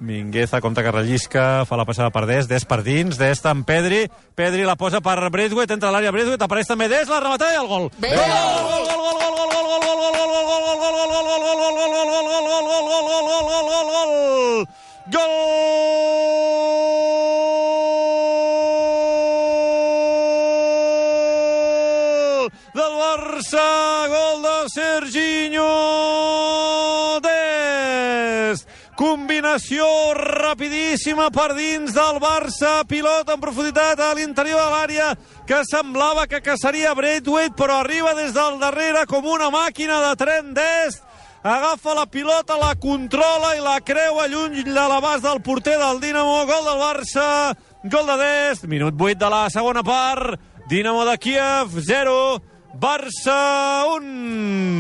Mingueza, compte que rellisca, fa la passada per Dest, Dest per dins, Dest amb Pedri, Pedri la posa per Braithwaite, entra a l'àrea Braithwaite, apareix també Dest, la rematada i el gol. Gol del Barça, gol de Serginho Dest. Combinació rapidíssima per dins del Barça, pilota en profunditat a l'interior de l'àrea, que semblava que caçaria Braithwaite, però arriba des del darrere com una màquina de tren Dest, agafa la pilota, la controla i la creua lluny de l'abast del porter del Dinamo. Gol del Barça, gol de Dest, minut 8 de la segona part, Dinamo de Kíev 0, Barça 1.